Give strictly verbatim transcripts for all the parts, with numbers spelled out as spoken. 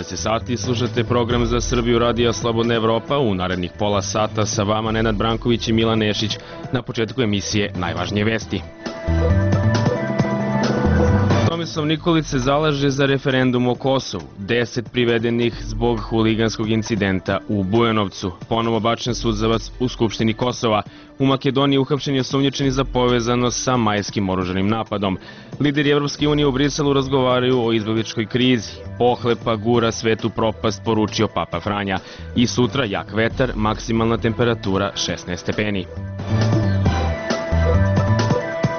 jedanaest sati slušate program za Srbiju Radija Slobodna Evropa. U narednih pola sata sa vama Nenad Branković i Milan Nešić. Na početku emisije najvažnije vesti. Tomislav Nikolić se zalaže za referendum o Kosovu. Deset privedenih zbog huliganskog incidenta u Bujanovcu. Ponovo bačen suzavac u Skupštini Kosova. U Makedoniji uhapšen je osumnjičeni za povezanost sa majskim oružanim napadom. Lideri Evropske unije u Briselu razgovaraju o izbegličkoj krizi. Pohlepa gura svetu propast, poručio Papa Franja. I sutra jak vetar, maksimalna temperatura šesnaest stepeni.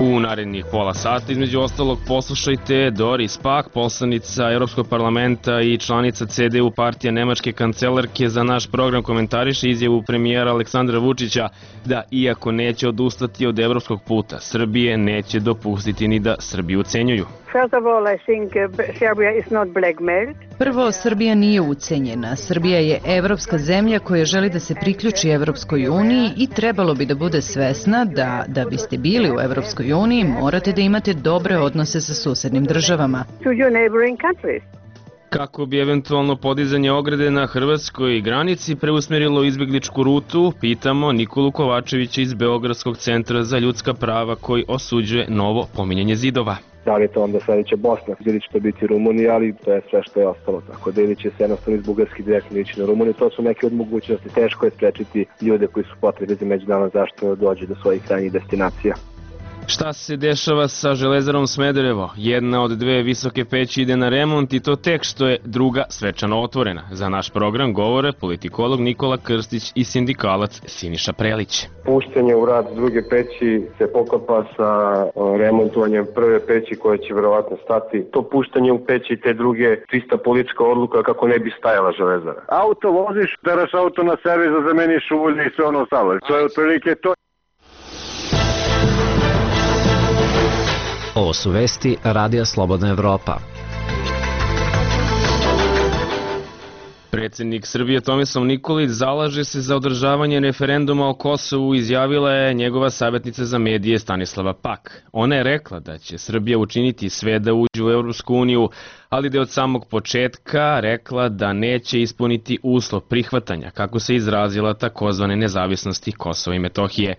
U narednih pola sata, između ostalog, poslušajte Doris Pack, poslanica Europskog parlamenta i članica C D U partija nemačke kancelarke. Za naš program komentariše izjavu premijera Aleksandra Vučića da, iako neće odustati od evropskog puta Srbije, neće dopustiti ni da Srbiju ucenjuju. Prvo, Srbija nije ucenjena. Srbija je evropska zemlja koja želi da se priključi Evropskoj uniji i trebalo bi da bude svesna da, da biste bili u Evropskoj uniji, morate da imate dobre odnose sa susednim državama. Kako bi eventualno podizanje ograde na hrvatskoj granici preusmerilo izbegličku rutu, pitamo Nikolu Kovačevića iz Beogradskog centra za ljudska prava koji osuđuje novo pominjanje zidova. Da li je to onda sledeća Bosna, ili će to biti Rumunija, ali to je sve što je ostalo. Tako da ili će se jednostavno iz Bugarski direktno ići na Rumuniju, to su neke od mogućnosti. Teško je sprečiti ljude koji su potrebni za međunarodnu zaštitu da dođu do svojih krajnjih destinacija. Šta se dešava sa Železarom Smederevo? Jedna od dve visoke peći ide na remont i to tek što je druga svečano otvorena. Za naš program govore politikolog Nikola Krstić i sindikalac Siniša Prelić. Puštanje u rad druge peći se poklapa sa remontovanjem prve peći koja će verovatno stati. To puštanje u peći te druge čista politička odluka kako ne bi stajala Železara. Auto voziš, teraš auto na servis da zameniš ulje i sve ono ostalo. To je otprilike to. Ovo su vesti Radija Slobodna Evropa. Predsjednik Srbije Tomislav Nikolić zalaže se za održavanje referenduma o Kosovu, izjavila je njegova savjetnica za medije Stanislava Pack. Ona je rekla da će Srbija učiniti sve da uđe u Evropsku uniju, ali da je od samog početka rekla da neće ispuniti uslov prihvatanja, kako se izrazila, takozvane nezavisnosti Kosova i Metohije.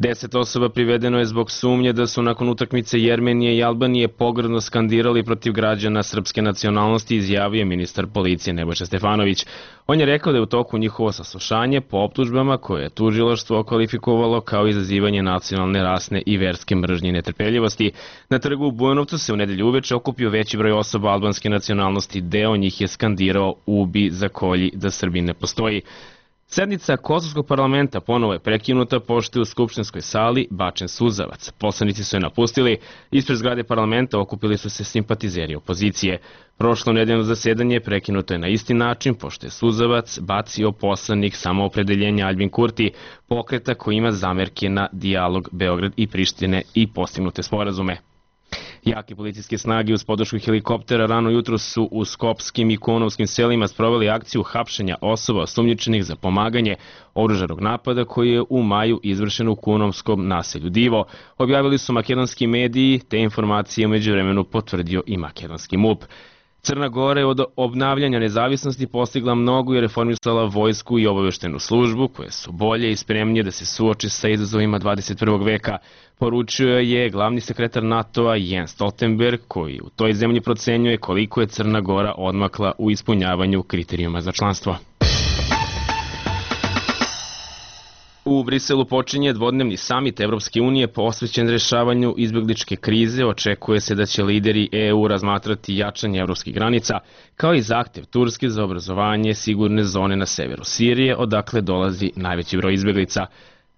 Deset osoba privedeno je zbog sumnje da su nakon utakmice Jermenije i Albanije pogrdno skandirali protiv građana srpske nacionalnosti, izjavio ministar policije Nebojša Stefanović. On je rekao da je u toku njihovo saslušanje po optužbama koje je tužilaštvo kvalifikovalo kao izazivanje nacionalne, rasne i verske mržnje i netrpeljivosti. Na trgu u Bujanovcu se u nedelju uveče okupio veći broj osoba albanske nacionalnosti, deo njih je skandirao ubi, zakolji, da Srbija ne postoji. Sednica Kosovskog parlamenta ponovo je prekinuta pošto je u skupštinskoj sali bačen suzavac. Poslanici su je napustili, ispred zgrade parlamenta okupili su se simpatizeri opozicije. Prošlo nedeljno zasedanje prekinuto je na isti način pošto je suzavac bacio poslanik Samoopredeljenja Aljbin Kurti, pokreta koji ima zamerke na dijalog Beograd i Prištine i postignute sporazume. Jake policijske snage uz podršku helikoptera rano jutro su u skopskim i kunovskim selima sproveli akciju hapšenja osoba osumnjičenih za pomaganje oružanog napada koji je u maju izvršen u kunovskom naselju Divo. Objavili su makedonski mediji, te informacije umeđu vremenu potvrdio i makedonski M U P. Crna Gora je od obnavljanja nezavisnosti postigla mnogo i reformisala vojsku i obaveštenu službu koje su bolje i spremnije da se suoči sa izazovima dvadeset prvog veka, poručio je glavni sekretar NATO-a Jens Stoltenberg, koji u toj zemlji procenjuje koliko je Crna Gora odmakla u ispunjavanju kriterijuma za članstvo. U Briselu počinje dvodnevni samit Evropske unije posvećen rešavanju izbegličke krize. Očekuje se da će lideri E U razmatrati jačanje evropskih granica, kao i zahtev Turske za obrazovanje sigurne zone na severu Sirije, odakle dolazi najveći broj izbeglica.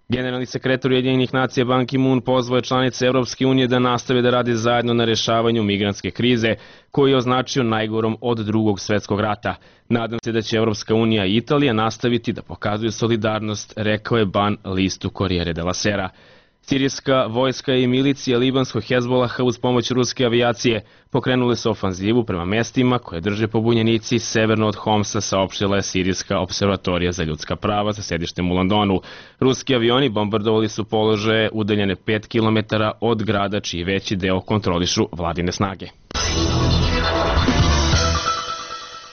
Generalni sekretar Ujedinjenih nacija Ban Ki-moon pozvao je članice Evropske unije da nastave da rade zajedno na rešavanju migrantske krize, koji je označio najgorom od drugog svetskog rata. Nadam se da će Evropska unija i Italija nastaviti da pokazuju solidarnost, rekao je Ban listu Corriere della Sera. Sirijska vojska i milicija libanskog Hezbolaha uz pomoć ruske avijacije pokrenule su ofanzivu prema mestima koje drže pobunjenici severno od Homsa, saopštila je Sirijska observatorija za ljudska prava sa sedištem u Londonu. Ruski avioni bombardovali su položaje udaljene pet kilometara od grada, čiji veći deo kontrolišu vladine snage.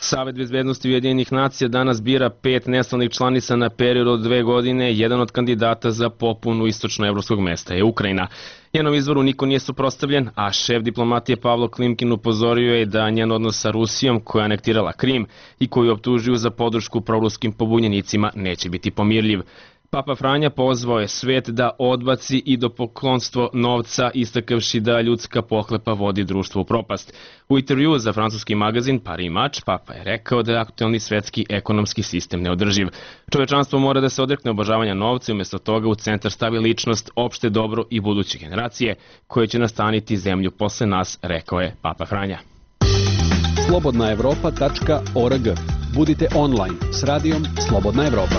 Savet bezbednosti Ujedinjenih nacija danas bira pet nestalnih članica na period od dve godine. Jedan od kandidata za popunu istočnoevropskog mesta je Ukrajina. Njenom izvoru niko nije suprotstavljen, a šef diplomatije Pavlo Klimkin upozorio je da njen odnos sa Rusijom, koja je anektirala Krim i koju optužuju za podršku proruskim pobunjenicima, neće biti pomirljiv. Papa Franja pozvao je svet da odbaci idolopoklonstvo novca, istakavši da ljudska pohlepa vodi društvo u propast. U intervjuu za francuski magazin Paris Match, Papa je rekao da je aktuelni svetski ekonomski sistem neodrživ. Čovečanstvo mora da se odrekne obožavanja novca i umjesto toga u centar stavi ličnost, opšte dobro i buduće generacije, koje će nastaniti zemlju posle nas, rekao je Papa Franja. slobodna evropa tačka org. Budite online s radijom Slobodna Evropa.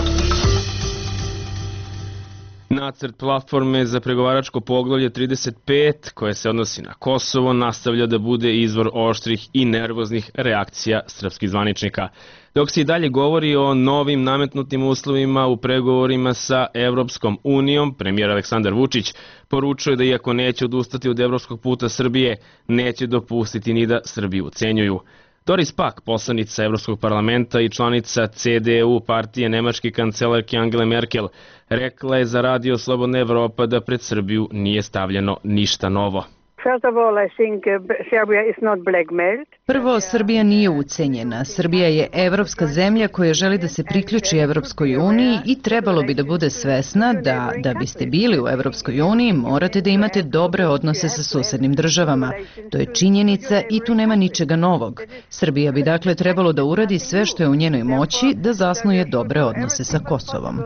Nacrt platforme za pregovaračko poglavlje trideset pet, koje se odnosi na Kosovo, nastavlja da bude izvor oštrih i nervoznih reakcija srpskih zvaničnika. Dok se i dalje govori o novim nametnutim uslovima u pregovorima sa Evropskom unijom, premijer Aleksandar Vučić poručuje da iako neće odustati od evropskog puta Srbije, neće dopustiti ni da Srbiju ucenjuju. Doris Pack, poslanica Evropskog parlamenta i članica C D U partije nemačke kancelarke Angele Merkel, rekla je za radio Slobodna Evropa da pred Srbiju nije stavljeno ništa novo. Prvo, Srbija nije ucenjena. Srbija je evropska zemlja koja želi da se priključi Evropskoj uniji i trebalo bi da bude svesna da, da biste bili u Evropskoj uniji, morate da imate dobre odnose sa susednim državama. To je činjenica i tu nema ničega novog. Srbija bi dakle trebalo da uradi sve što je u njenoj moći da zasnuje dobre odnose sa Kosovom.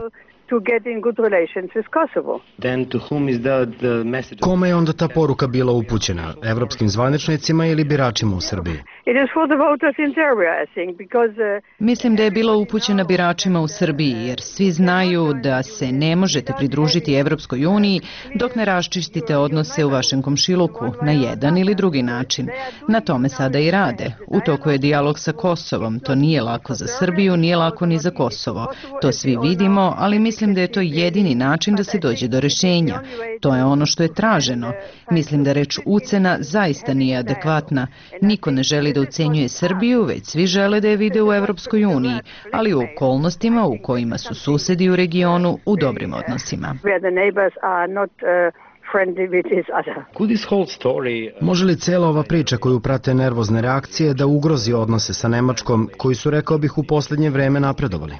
To get in good relations with Kosovo. Then to whom is the, the message? Kome je onda ta poruka bila upućena? Evropskim zvaničnicima ili biračima u Srbiji? It is for the voters in Serbia, I think, because uh, Mislim da je bila upućena biračima u Srbiji, jer svi znaju da se ne možete pridružiti Evropskoj uniji dok ne raščistite odnose u vašem komšiluku na jedan ili drugi način. Na tome sada i rade. U toku je dijalog sa Kosovom. To nije lako za Srbiju, nije lako ni za Kosovo. To svi vidimo, ali mislim da je to jedini način da se dođe do rešenja. To je ono što je traženo. Mislim da reč ucena zaista nije adekvatna. Niko ne želi da ucenjuje Srbiju, već svi žele da je vide u Evropskoj uniji, ali u okolnostima u kojima su susedi u regionu u dobrim odnosima. Može li cela ova priča koju prate nervozne reakcije da ugrozi odnose sa Nemačkom, koji su, rekao bih, u posljednje vreme napredovali?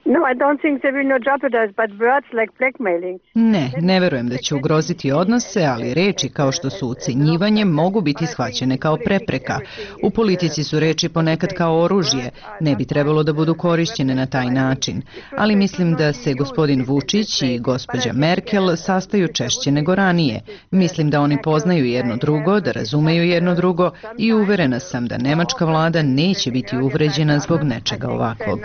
No, I don't think they will not jeopardize, but words like blackmailing. Ne, ne verujem da će ugroziti odnose, ali reči kao što su ucenjivanje mogu biti shvaćene kao prepreka. U politici su reči ponekad kao oružje, ne bi trebalo da budu korišćene na taj način. Ali mislim da se gospodin Vučić i gospođa Merkel sastaju češće nego ranije. Mislim da oni poznaju jedno drugo, da razumeju jedno drugo i uverena sam da nemačka vlada neće biti uvređena zbog nečega ovakvog.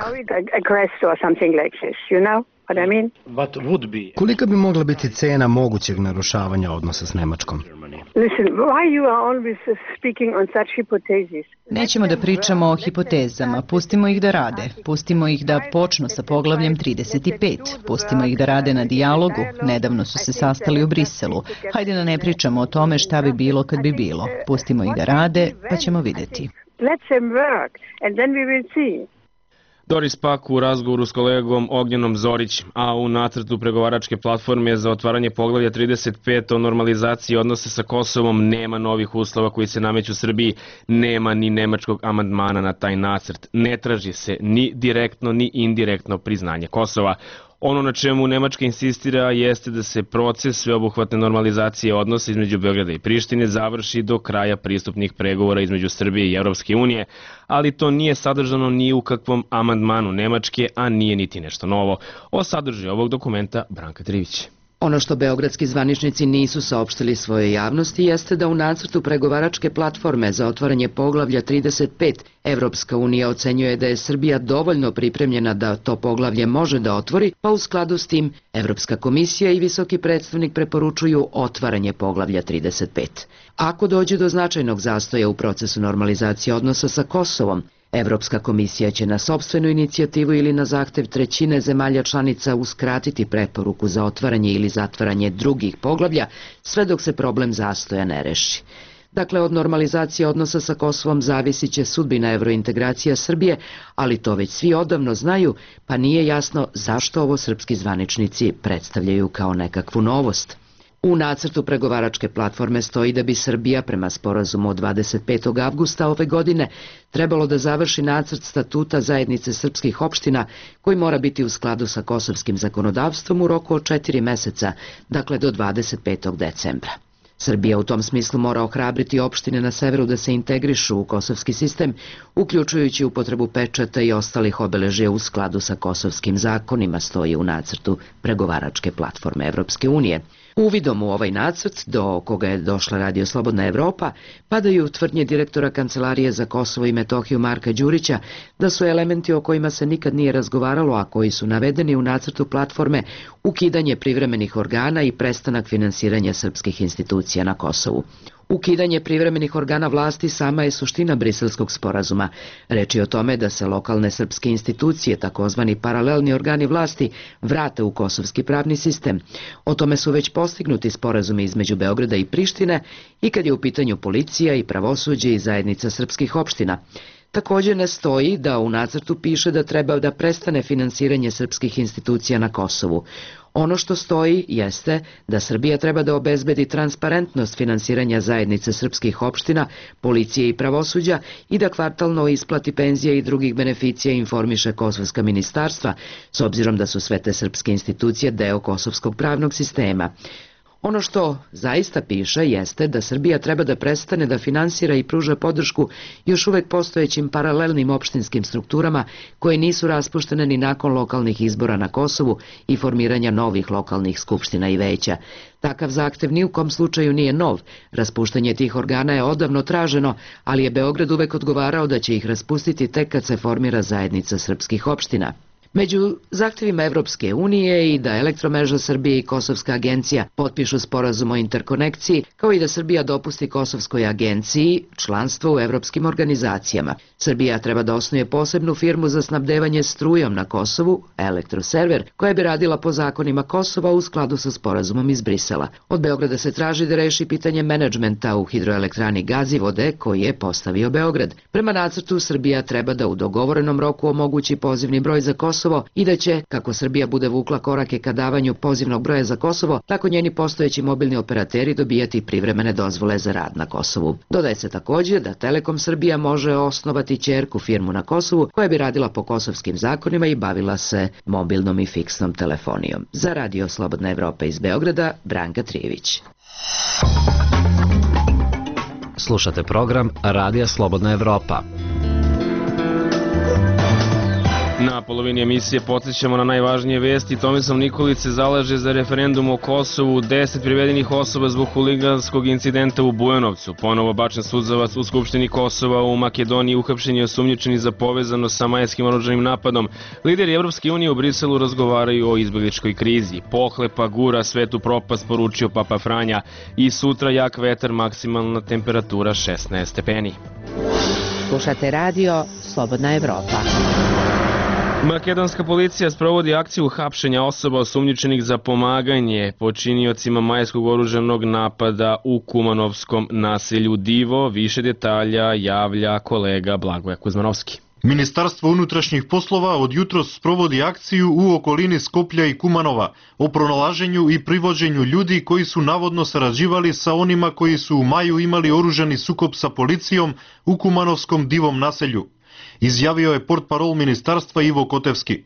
Something like this, you know what I mean? What would be? Kolika bi mogla biti cena mogućeg narušavanja odnosa s Nemačkom? Listen, why you are always speaking on such hypotheses? Nećemo da pričamo o hipotezama, pustimo ih da rade, pustimo ih da počnu sa poglavljem trideset pet, pustimo ih da rade na dijalogu, nedavno su se sastali u Briselu. Hajde da ne pričamo o tome šta bi bilo kad bi bilo, pustimo ih da rade, pa ćemo vidjeti. Let them work, and then we will see. Doris Pack u razgovoru s kolegom Ognjenom Zorić, a u nacrtu pregovaračke platforme za otvaranje poglavlja trideset pet o normalizaciji odnose sa Kosovom nema novih uslova koji se nameću Srbiji, nema ni nemačkog amandmana na taj nacrt. Ne traži se ni direktno ni indirektno priznanje Kosova. Ono na čemu Nemačka insistira jeste da se proces sveobuhvatne normalizacije odnosa između Beograda i Prištine završi do kraja pristupnih pregovora između Srbije i Evropske unije, ali to nije sadržano ni u kakvom amandmanu Nemačke, a nije niti nešto novo. O sadržaju ovog dokumenta Branka Trivić. Ono što beogradski zvaničnici nisu saopštili svojoj javnosti jeste da u nacrtu pregovaračke platforme za otvaranje poglavlja trideset pet Evropska unija ocenjuje da je Srbija dovoljno pripremljena da to poglavlje može da otvori, pa u skladu s tim Evropska komisija i visoki predstavnik preporučuju otvaranje poglavlja trideset pet. Ako dođe do značajnog zastoja u procesu normalizacije odnosa sa Kosovom, Evropska komisija će na sopstvenu inicijativu ili na zahtev trećine zemalja članica uskratiti preporuku za otvaranje ili zatvaranje drugih poglavlja, sve dok se problem zastoja ne reši. Dakle, od normalizacije odnosa sa Kosovom zavisit će sudbina evrointegracija Srbije, ali to već svi odavno znaju, pa nije jasno zašto ovo srpski zvaničnici predstavljaju kao nekakvu novost. U nacrtu pregovaračke platforme stoji da bi Srbija prema sporazumu od dvadeset petog avgusta ove godine trebalo da završi nacrt statuta zajednice srpskih opština koji mora biti u skladu sa kosovskim zakonodavstvom u roku od četiri meseca, dakle do dvadeset petog decembra. Srbija u tom smislu mora ohrabriti opštine na severu da se integrišu u kosovski sistem, uključujući upotrebu pečata i ostalih obeležja u skladu sa kosovskim zakonima, stoji u nacrtu pregovaračke platforme Evropske unije. Uvidom u ovaj nacrt, do koga je došla Radio Slobodna Evropa, padaju tvrdnje direktora Kancelarije za Kosovo i Metohiju Marka Đurića da su elementi o kojima se nikad nije razgovaralo, a koji su navedeni u nacrtu platforme, ukidanje privremenih organa i prestanak finansiranja srpskih institucija na Kosovu. Ukidanje privremenih organa vlasti sama je suština Briselskog sporazuma. Reč je o tome da se lokalne srpske institucije, takozvani paralelni organi vlasti, vrate u kosovski pravni sistem. O tome su već postignuti sporazumi između Beograda i Prištine i kad je u pitanju policija i pravosuđe i zajednica srpskih opština. Također ne stoji da u nacrtu piše da treba da prestane finansiranje srpskih institucija na Kosovu. Ono što stoji jeste da Srbija treba da obezbedi transparentnost finansiranja zajednice srpskih opština, policije i pravosuđa i da kvartalno isplati penzije i drugih beneficija i informiše kosovska ministarstva, s obzirom da su sve te srpske institucije deo kosovskog pravnog sistema. Ono što zaista piše jeste da Srbija treba da prestane da finansira i pruža podršku još uvek postojećim paralelnim opštinskim strukturama koje nisu raspuštene ni nakon lokalnih izbora na Kosovu i formiranja novih lokalnih skupština i veća. Takav zahtev ni u kom slučaju nije nov. Raspuštanje tih organa je odavno traženo, ali je Beograd uvek odgovarao da će ih raspustiti tek kad se formira zajednica srpskih opština. Među zahtevima Evropske unije i da Elektromreža Srbije i Kosovska agencija potpišu sporazum o interkonekciji, kao i da Srbija dopusti Kosovskoj agenciji članstvo u evropskim organizacijama. Srbija treba da osnuje posebnu firmu za snabdevanje strujom na Kosovu, Elektroserver, koja bi radila po zakonima Kosova u skladu sa sporazumom iz Brisela. Od Beograda se traži da reši pitanje menadžmenta u hidroelektrani Gazivode koji je postavio Beograd. Prema nacrtu, Srbija treba da u dogovorenom roku omogući pozivni broj za Kosovo i da će, kako Srbija bude vukla korake ka davanju pozivnog broja za Kosovo, tako njeni postojeći mobilni operateri dobijati privremene dozvole za rad na Kosovu. Dodaje se također da Telekom Srbija može osnovati ćerku firmu na Kosovu koja bi radila po kosovskim zakonima i bavila se mobilnom i fiksnom telefonijom. Za Radio Slobodna Evropa iz Beograda, Branka Trijević. Slušate program Radija Slobodna Evropa. Na polovini emisije podsjećamo na najvažnije vesti. Tomislav Nikolić se zalaže za referendum o Kosovu, deset privedenih osoba zbog huliganskog incidenta u Bujanovcu. Ponovo bačen suzavac u Skupštini Kosova u Makedoniji, uhapšen je osumnjičeni za povezano sa majskim oružanim napadom. Lideri Evropske unije u Briselu razgovaraju o izbegličkoj krizi. Pohlepa gura svetu propast, poručio Papa Franja. I sutra jak vetar, maksimalna temperatura šesnaest stepeni. Slušate radio Slobodna Evropa. Makedonska policija sprovodi akciju hapšenja osoba osumnjičenih za pomaganje počiniocima majskog oružanog napada u kumanovskom naselju Divo. Više detalja javlja kolega Blagoje Kuzmanovski. Ministarstvo unutrašnjih poslova od jutros sprovodi akciju u okolini Skoplja i Kumanova o pronalaženju i privođenju ljudi koji su navodno sarađivali sa onima koji su u maju imali oružani sukob sa policijom u kumanovskom Divom naselju, izjavio je portparol ministarstva Ivo Kotevski.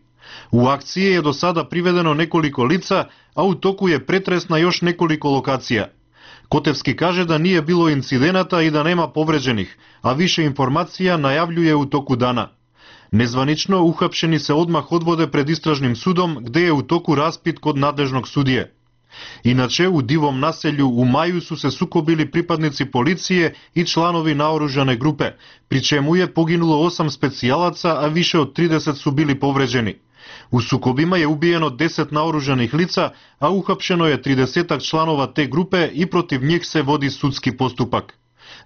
U akciji je do sada privedeno nekoliko lica, a u toku je pretres na još nekoliko lokacija. Kotevski kaže da nije bilo incidenata i da nema povređenih, a više informacija najavljuje u toku dana. Nezvanično uhapšeni se odmah odvode pred istražnim sudom, gde je u toku raspit kod nadležnog sudije. Inače, u Divom naselju u maju su se sukobili pripadnici policije i članovi naoružane grupe, pri čemu je poginulo osam specijalaca, a više od trideset su bili povređeni. U sukobima je ubijeno deset naoružanih lica, a uhapšeno je tridesetak članova te grupe i protiv njih se vodi sudski postupak.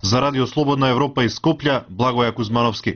Za Radio Slobodna Evropa iz Skoplja, Blagoje Kuzmanovski.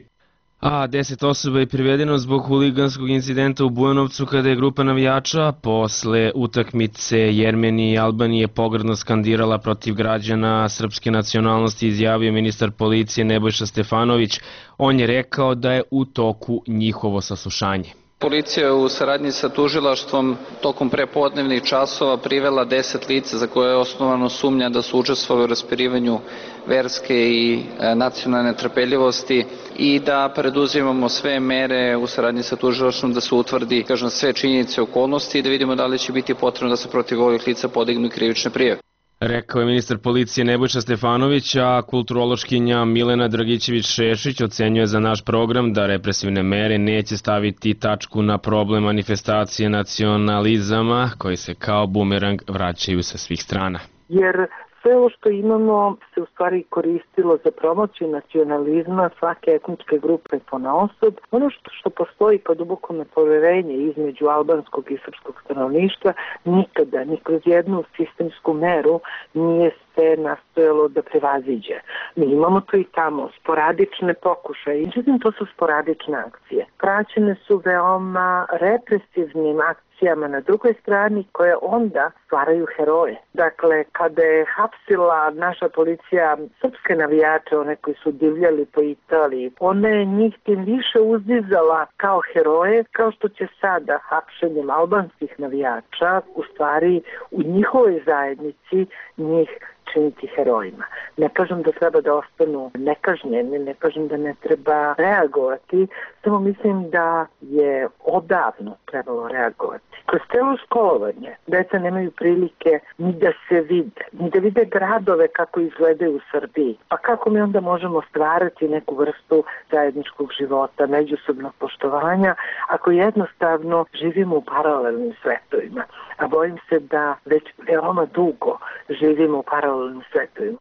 A deset osoba je privedeno zbog huliganskog incidenta u Bujanovcu kada je grupa navijača posle utakmice Jermenije i Albanije pogrdno skandirala protiv građana srpske nacionalnosti, izjavio ministar policije Nebojša Stefanović. On je rekao da je u toku njihovo saslušanje. Policija je u saradnji sa tužilaštvom tokom prepodnevnih časova privela deset lica za koje je osnovano sumnja da su učestvovali u raspirivanju verske i nacionalne trpeljivosti i da preduzimamo sve mere u saradnji sa tužilaštvom da se utvrdi, kažem, sve činjenice i okolnosti i da vidimo da li će biti potrebno da se protiv ovih lica podignu i krivične prijave. Rekao je ministar policije Nebojša Stefanović, a kulturološkinja Milena Dragićević-Šešić ocenjuje za naš program da represivne mere neće staviti tačku na problem manifestacije nacionalizama koji se kao bumerang vraćaju sa svih strana. Jer sve ovo što imamo se u stvari koristilo za promociju nacionalizma svake etničke grupe ponaosob. Ono što, što postoji kao duboko nepoverenje između albanskog i srpskog stanovništva nikada, ni kroz jednu sistemsku meru nije se nastojalo da prevaziđe. Mi imamo to i tamo, sporadične pokušaje, međutim to su sporadične akcije. Praćene su veoma represivnim akcijama na drugoj strani koje onda stvaraju heroje. Dakle, kada je hapsila naša policija srpske navijače, one koji su divljali po Italiji, ona je njih tim više uzdizala kao heroje, kao što će sada hapšenjem albanskih navijača u stvari u njihovoj zajednici njih činiti herojima. Ne kažem da treba da ostanu nekažnjeni, ne kažem da ne treba reagovati, samo mislim da je odavno trebalo reagovati. Kroz celo školovanje deca nemaju prilike ni da se vide, ni da vide gradove kako izgledaju u Srbiji. Pa kako mi onda možemo stvarati neku vrstu zajedničkog života, međusobnog poštovanja, ako jednostavno živimo u paralelnim svetovima. A bojim se da već veoma dugo živimo u paralelnim svetovima.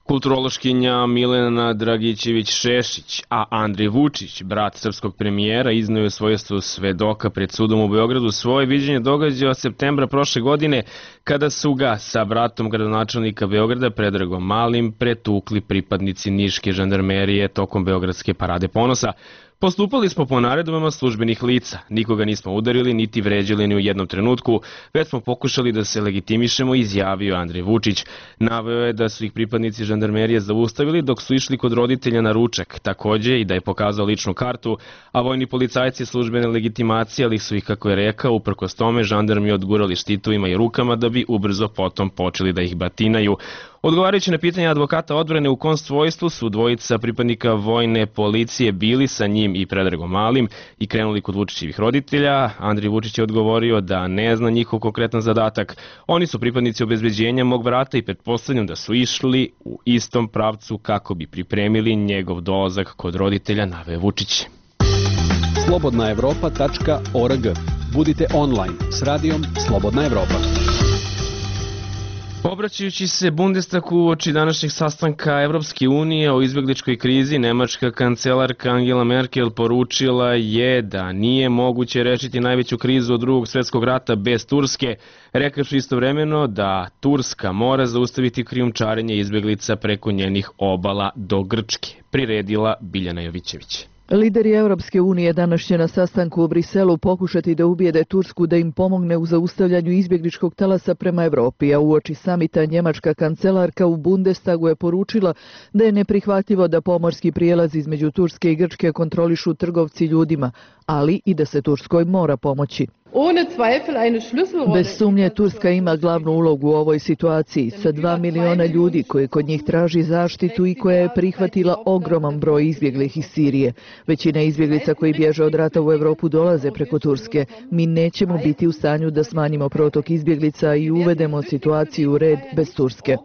Kulturološkinja Milena Dragićević-Šešić, a Andrej Vučić, brat srpskog premijera, izneo je svojstvo svedoka pred sudom u Beogradu svoje viđenje događaja od septembra prošle godine, kada su ga sa bratom gradonačelnika Beograda Predragom Malim pretukli pripadnici niške žandarmerije tokom Beogradske parade ponosa. Postupali smo po naredbama službenih lica, nikoga nismo udarili niti vređali ni u jednom trenutku, već smo pokušali da se legitimišemo, izjavio Andrej Vučić. Naveo je da su ih pripadnici žandarmerije zaustavili dok su išli kod roditelja na ručak, takođe i da je pokazao ličnu kartu, a vojni policajci službene legitimacije, ali su ih, kako je rekao, uprkos tome žandarmi odgurali štitovima i rukama da bi ubrzo potom počeli da ih batinaju. Odgovarajući na pitanje advokata odbrane u kom svojstvu su dvojica pripadnika vojne policije bili sa njim i Predragom Malim i krenuli kod Vučićevih roditelja, Andrej Vučić je odgovorio da ne zna njihov konkretan zadatak. Oni su pripadnici obezbeđenja mog brata i pretpostavljam da su išli u istom pravcu kako bi pripremili njegov dolazak kod roditelja, naveo Vučić. slobodna evropa tačka org. Budite online s radijom Slobodna Evropa. Obraćajući se Bundestagu uoči današnjeg sastanka Evropske unije o izbjegličkoj krizi, nemačka kancelarka Angela Merkel poručila je da nije moguće rešiti najveću krizu od drugog svjetskog rata bez Turske, rekavši istovremeno da Turska mora zaustaviti krijumčarenje izbjeglica preko njenih obala do Grčke, priredila Biljana Jovićević. Lideri Evropske unije danas će na sastanku u Briselu pokušati da ubijede Tursku da im pomogne u zaustavljanju izbjegličkog talasa prema Evropi, a uoči samita njemačka kancelarka u Bundestagu je poručila da je neprihvatljivo da pomorski prijelaz između Turske i Grčke kontrolišu trgovci ljudima, ali i da se Turskoj mora pomoći. Bez sumnje Turska ima glavnu ulogu u ovoj situaciji sa dva miliona ljudi koji kod njih traži zaštitu i koja je prihvatila ogroman broj izbjeglih iz Sirije. Većina izbjeglica koji bježe od rata u Evropu dolaze preko Turske. Mi nećemo biti u stanju da smanjimo protok izbjeglica i uvedemo situaciju u red bez Turske.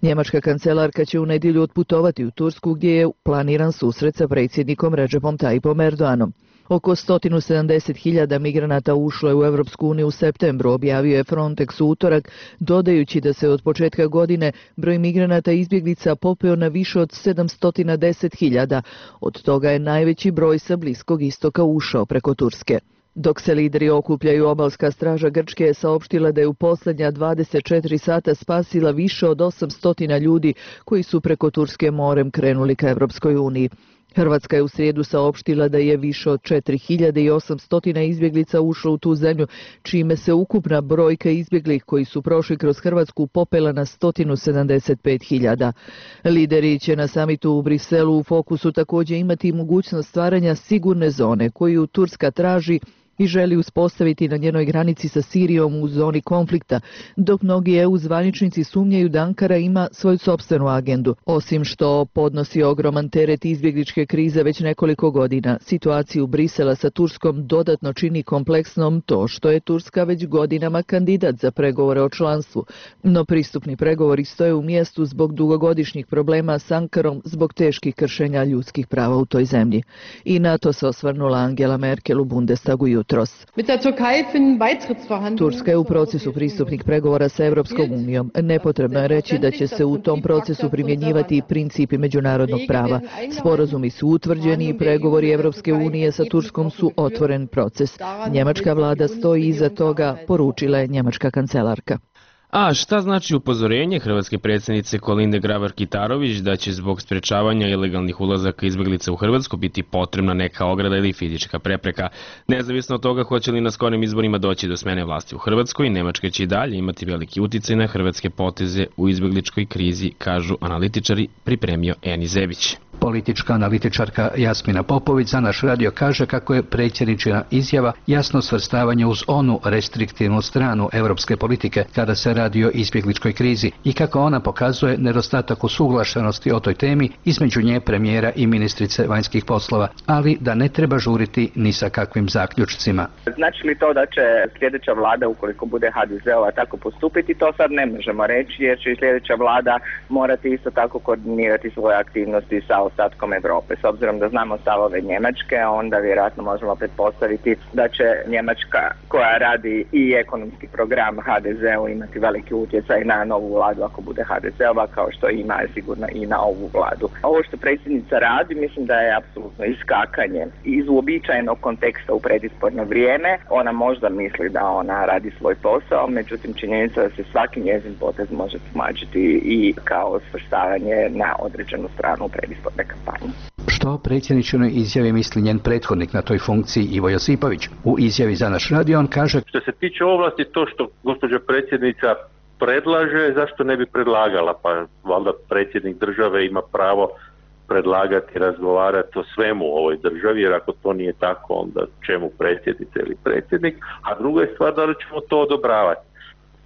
Njemačka kancelarka će u nedjelju otputovati u Tursku gdje je planiran susret sa predsjednikom Recepom Tayyipom Erdoganom. Oko sto sedamdeset hiljada migranata ušlo je u Evropsku uniju u septembru, objavio je Frontex u utorak, dodajući da se od početka godine broj migranata i izbjeglica popeo na više od sedamsto deset hiljada. Od toga je najveći broj sa Bliskog istoka ušao preko Turske. Dok se lideri okupljaju, obalska straža Grčke je saopštila da je u posljednja dvadeset četiri sata spasila više od osamsto ljudi koji su preko Turske morem krenuli ka Evropskoj uniji. Hrvatska je u srijedu saopštila da je više od četiri hiljade osamsto izbjeglica ušlo u tu zemlju, čime se ukupna brojka izbjeglih koji su prošli kroz Hrvatsku popela na sto sedamdeset pet hiljada. Lideri će na samitu u Briselu u fokusu također imati mogućnost stvaranja sigurne zone koju Turska traži i želi uspostaviti na njenoj granici sa Sirijom u zoni konflikta, dok mnogi E U zvaničnici sumnjaju da Ankara ima svoju sopstvenu agendu. Osim što podnosi ogroman teret izbjegličke krize već nekoliko godina, situaciju Brisela sa Turskom dodatno čini kompleksnom to što je Turska već godinama kandidat za pregovore o članstvu, no pristupni pregovori stoje u mjestu zbog dugogodišnjih problema s Ankarom zbog teških kršenja ljudskih prava u toj zemlji. I na to se osvrnula Angela Merkel u Bundestagu jutros. Turska je u procesu pristupnih pregovora sa Europskom unijom. Nepotrebno je reći da će se u tom procesu primjenjivati i principi međunarodnog prava. Sporazumi su utvrđeni i pregovori Europske unije sa Turskom su otvoren proces. Njemačka vlada stoji iza toga, poručila je njemačka kancelarka. A šta znači upozorenje hrvatske predsjednice Kolinde Grabar-Kitarović da će zbog sprečavanja ilegalnih ulazaka izbjeglica u Hrvatsku biti potrebna neka ograda ili fizička prepreka? Nezavisno od toga hoće li na skorim izborima doći do smene vlasti u Hrvatskoj, Nemačka će i dalje imati veliki uticaj na hrvatske poteze u izbjegličkoj krizi, kažu analitičari, pripremio Eni Zebić. Politička analitičarka Jasmina Popović za naš radio kaže kako je predsjedničina izjava jasno svrstavanje uz onu restriktivnu stranu europske politike kada se radi o izbjegličkoj krizi i kako ona pokazuje nedostatak usuglašenosti o toj temi između nje, premijera i ministrice vanjskih poslova, ali da ne treba žuriti ni sa kakvim zaključcima. Znači li to da će sljedeća vlada, ukoliko bude ha de zeova, tako postupiti, to sad ne možemo reći, jer će i sljedeća vlada morati isto tako koordinirati svoje aktivnosti sa ostatkom Europe. S obzirom da znamo stavove Njemačke, onda vjerojatno možemo pretpostaviti da će Njemačka, koja radi i ekonomski program ha de zeu, imati veliki utjecaj na novu vladu ako bude ha de zeova, kao što ima sigurno i na ovu vladu. Ovo što predsjednica radi, mislim da je apsolutno iskakanje iz uobičajenog konteksta u predizborno vrijeme. Ona možda misli da ona radi svoj posao, međutim činjenica da se svaki njezin potez može tumačiti i kao svrstavanje na određenu stranu predizborne kampanje. Što predsjedničinoj izjavi misli njen prethodnik na toj funkciji Ivo Josipović? U izjavi za naš radio on kaže: što se tiče ovlasti, to što gospođa predsjednica predlaže, zašto ne bi predlagala? Pa valjda predsjednik države ima pravo predlagati, razgovarati o svemu u ovoj državi, jer ako to nije tako, onda čemu predsjednica ili predsjednik? A druga je stvar, da li ćemo to odobravati?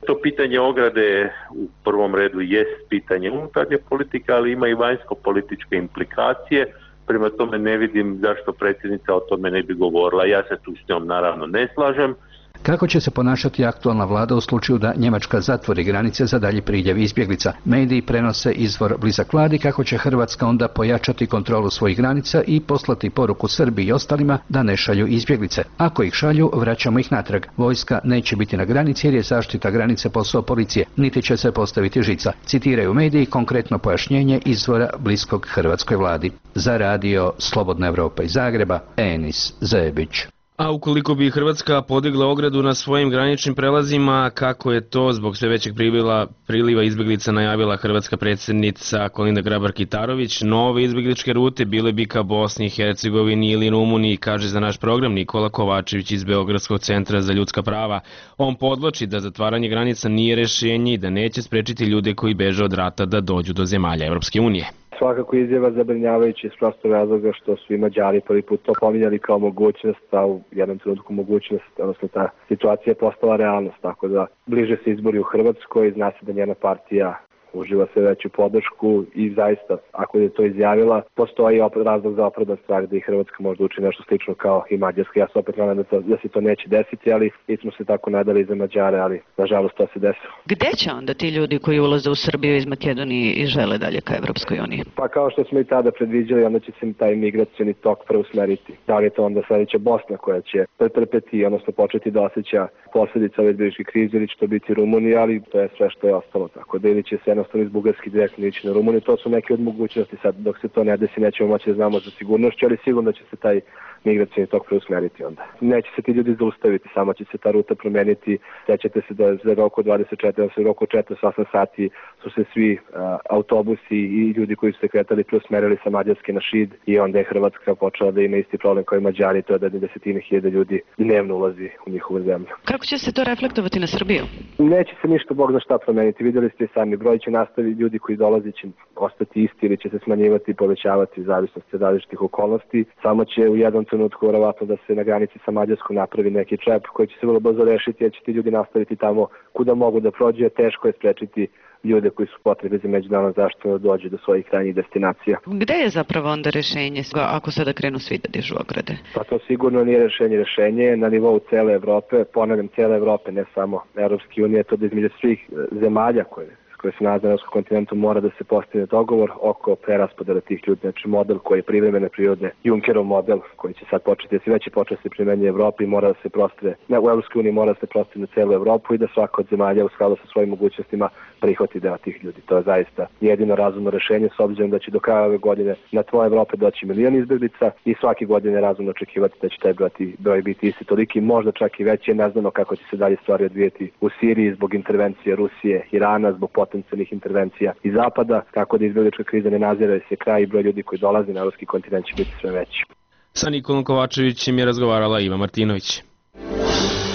To pitanje ograde u prvom redu jest pitanje unutarnje politike, ali ima i vanjsko-političke implikacije. Prema tome ne vidim zašto predsjednica o tome ne bi govorila. Ja se tu s njom naravno ne slažem. Kako će se ponašati aktualna vlada u slučaju da Njemačka zatvori granice za dalji priljev izbjeglica? Mediji prenose izvor blizak vladi kako će Hrvatska onda pojačati kontrolu svojih granica i poslati poruku Srbiji i ostalima da ne šalju izbjeglice. Ako ih šalju, vraćamo ih natrag. Vojska neće biti na granici jer je zaštita granice posao policije, niti će se postaviti žica. Citiraju mediji konkretno pojašnjenje izvora bliskog hrvatskoj vladi. Za radio Slobodna Evropa iz Zagreba, Enis Zebić. A ukoliko bi Hrvatska podigla ogradu na svojim graničnim prelazima, kako je to zbog sve većeg priliva, priliva izbjeglica najavila hrvatska predsjednica Kolinda Grabar-Kitarović, nove izbjegličke rute bile bi ka Bosni i Hercegovini ili Rumuniji, kaže za naš program Nikola Kovačević iz Beogradskog centra za ljudska prava. On podvlači da zatvaranje granica nije rješenje i da neće sprečiti ljude koji beže od rata da dođu do zemalja Evropske unije. Svakako izjava zabrinjavajući iz prostog razloga što su i Mađari prvi put to pominjali kao mogućnost, a u jednom trenutku mogućnost, odnosno ta situacija je postala realnost, tako da bliže se izbori u Hrvatskoj, zna se da njena partija uživa sve veću podršku i zaista, ako je to izjavila, postoji razlog za opravdan strah da i Hrvatska možda uči nešto slično kao i Mađarska. Ja se opet nadam da, to, da se to neće desiti, ali mi smo se tako nadali za Mađare, ali nažalost to se desilo. Gde će onda ti ljudi koji ulaze u Srbiju iz Makedonije i žele dalje ka Evropskoj uniji? Pa kao što smo i tada predviđali, onda će se taj migracioni tok preusmeriti. Da li je to onda sledeća Bosna koja će pretrpeti, odnosno početi da osjeća posljedice ove izbjegličke krize, ili će to biti Rumunija, ali to je sve što je ostalo. Tako da ili će se jednostavno iz Bugarske direktno ići na Rumuniju. To su neke od mogućnosti. Sad, dok se to ne desi, nećemo moći da znamo za sigurnošću, ali sigurno će se taj migracijni tok preusmeriti onda. Neće se ti ljudi zaustaviti, samo će se ta ruta promeniti. Sećate se da za roku dvadeset četiri, za roku četrdeset osam sati su se svi a, autobusi i ljudi koji su se kretali preusmerili sa Mađarske na Šid i onda je Hrvatska počela da ima isti problem kao i Mađari, to je da desetine hiljada ljudi dnevno ulazi u njihovu zemlju. Kako će se to reflektovati na Srbiju? Neće se ništa Bog zna šta promeniti. Vidjeli ste i sami, broj će nastaviti, ljudi koji dolazi će ostati isti ili će se smanjivati i povećavati u zavisnosti od različitih okolnosti. Samo će u jednom trenutku verovatno da se na granici sa Mađarskom napravi neki čep koji će se vrlo brzo rešiti, jer će ti ljudi nastaviti tamo kuda mogu da prođe. Teško je sprečiti ljude koji su potrebni za međunarodnu zaštitu da dođe do svojih krajnjih destinacija. Gde je zapravo onda rešenje ako sada krenu svi da dižu ograde? Pa to sigurno nije rešenje. Rešenje je na nivou cele Evrope, ponavljam cele Evrope, ne samo Evropske unije, to da između svih zemalja koje koje se nalaze na europskom kontinentu mora da se postigne dogovor oko preraspodele tih ljudi, znači model koji je privremene prirode, Junckerov model koji će sad početi, da se već je počeo se primenjuje Evropi, mora da se prostre, ne, u Evropskoj uniji mora da se prostre na celu Evropu i da svaka od zemalja u skladu sa svojim mogućnostima prihvati deo tih ljudi. To je zaista jedino razumno rešenje, s obzirom da će do kraja ove godine na tvoje Evrope doći milion izbeglica i svake godine razumno očekivati da će taj broj biti isti toliki, možda čak i veći, ne znamo kako će se dalje stvari odvijeti u Siriji zbog intervencije Rusije, Irana, zbog potencijalnih intervencija iz zapada, tako da izbeglička kriza ne nazire se kraj i broj ljudi koji dolaze na evropski kontinent će biti sve veći. Sa Nikolom Kovačevićem je razgovarala Iva Martinović.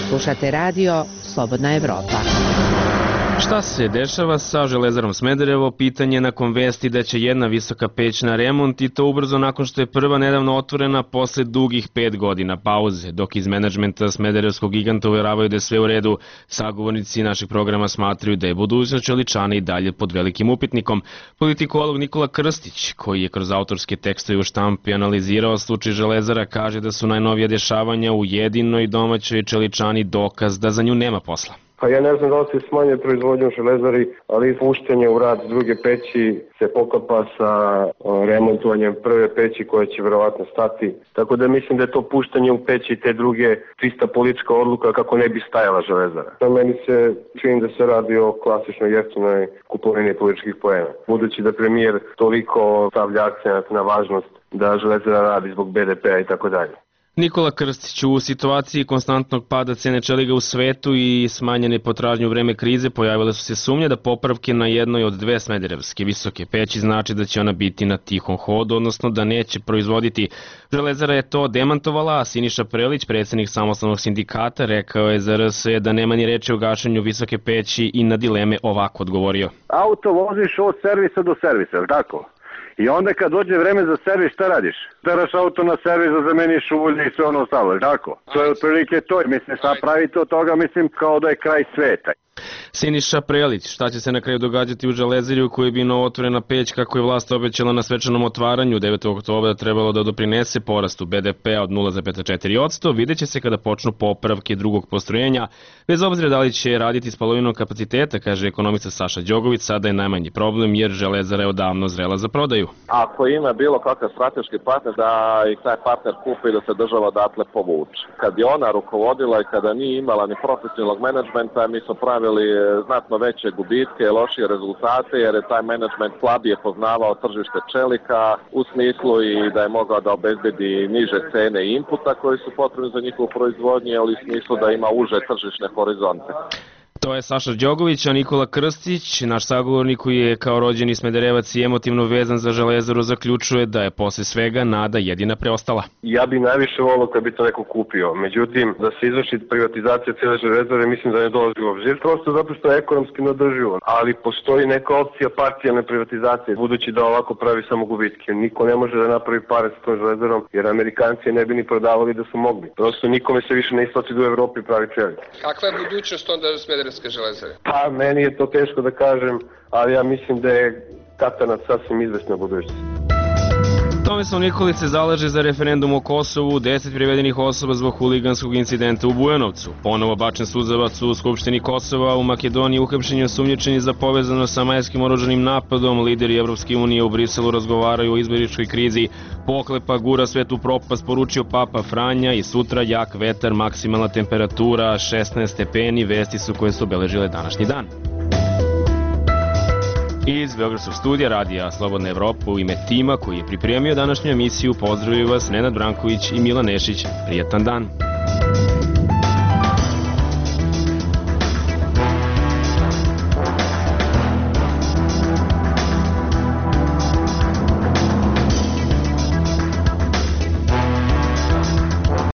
Slušate radio Slobodna Evropa. Šta se dešava sa Železarom Smederevo? Pitanje nakon vesti da će jedna visoka peć na remont i to ubrzo nakon što je prva nedavno otvorena posle dugih pet godina pauze. Dok iz menadžmenta Smederevskog giganta uveravaju da je sve u redu, sagovornici našeg programa smatraju da je budućnost Čeličana i dalje pod velikim upitnikom. Politikolog Nikola Krstić, koji je kroz autorske tekstove u štampi analizirao slučaj Železara, kaže da su najnovija dešavanja u jedinoj domaćoj Čeličani dokaz da za nju nema posla. Pa ja ne znam da li se smanjuje proizvodnju u Železari, ali puštanje u rad druge peći se poklapa sa remontovanjem prve peći koja će verovatno stati. Tako da mislim da je to puštanje u peći te druge čista politička odluka kako ne bi stajala Železara. Na meni se čini da se radi o klasičnoj jeftinoj kupovini političkih poena. Budući da premijer toliko stavlja akcenat na važnost da Železara radi zbog be de pea i tako dalje. Nikola Krstić, u situaciji konstantnog pada cene čeliga u svetu i smanjene potražnje u vreme krize pojavile su se sumnje da popravke na jednoj od dve smederevske visoke peći znači da će ona biti na tihom hodu, odnosno da neće proizvoditi. Železara je to demantovala, a Siniša Prelić, predsjednik samostalnog sindikata, rekao je za er es da nema ni reči o gašenju visoke peći i na dileme ovako odgovorio. Auto voziš od servisa do servisa, je li tako? I onda kad dođe vreme za servis, šta radiš? Teraš auto na servis da zameniš ulje i sve ono ostalo, tako? To je otprilike to. Mislim, sad pravite od toga, mislim, kao da je kraj sveta. Siniša Prelić, šta će se na kraju događati u Železari u kojoj bi novootvorena peć, kako je vlast obećala na svečanom otvaranju devetog oktobra trebalo da doprinese porastu be de pea od nula zarez četiri posto, vidjet će se kada počnu popravke drugog postrojenja. Bez obzira da li će raditi s polovinom kapaciteta, kaže ekonomista Saša Đogović, sada je najmanji problem jer Železara je odavno zrela za prodaju. Ako ima bilo kakav strateški partner, da ih taj partner kupi i da se država odatle povuče. Kad je ona rukovodila i kada nije imala ni profesionalnog menadžmenta, mi smo pravili znatno veće gubitke, lošije rezultate, jer je taj menadžment slabije poznavao tržište čelika u smislu i da je mogao da obezbedi niže cene inputa koji su potrebni za njihovu proizvodnju, ali u smislu da ima uže tržišne horizonte. To je Saša Đogović, a Nikola Krstić, naš sagovornik koji je kao rođeni Smederevac i emotivno vezan za Železaru, zaključuje da je posle svega nada jedina preostala. Ja bi najviše volio kad bi to neko kupio, međutim da se izvrši privatizacija cijele Železare mislim da ne dolazi u obzir, prosto zato što je ekonomski neodrživo, ali postoji neka opcija parcijalne privatizacije, budući da ovako pravi samo gubitke. Niko ne može da napravi pare sa tom Železarom, jer Amerikanci ne bi ni prodavali da su mogli. Prosto nikome se više ne isplati da u Evropi pravi čelik. Kakva je budućnost onda Smederevske Železare? Pa, meni je to teško da kažem, ali ja mislim da je Katanac sasvim izvesna budućnost. Tomislav Nikolić se zalaže za referendum o Kosovu, deset privedenih osoba zbog huliganskog incidenta u Bujanovcu. Ponovo bačen suzavac u Skupštini Kosova, u Makedoniji uhapšeni osumnjičeni za povezano sa majskim oružanim napadom. Lideri Evropske unije u Briselu razgovaraju o izbegličkoj krizi. Pohlepa gura svet u propast, poručio Papa Franja, i sutra jak vetar, maksimalna temperatura šesnaest stepeni, vesti su koje su obeležile današnji dan. Iz Beogradskog studija Radija Slobodna Evropa u ime tima koji je pripremio današnju emisiju pozdravljaju vas Nenad Branković i Milan Nešić. Prijetan dan!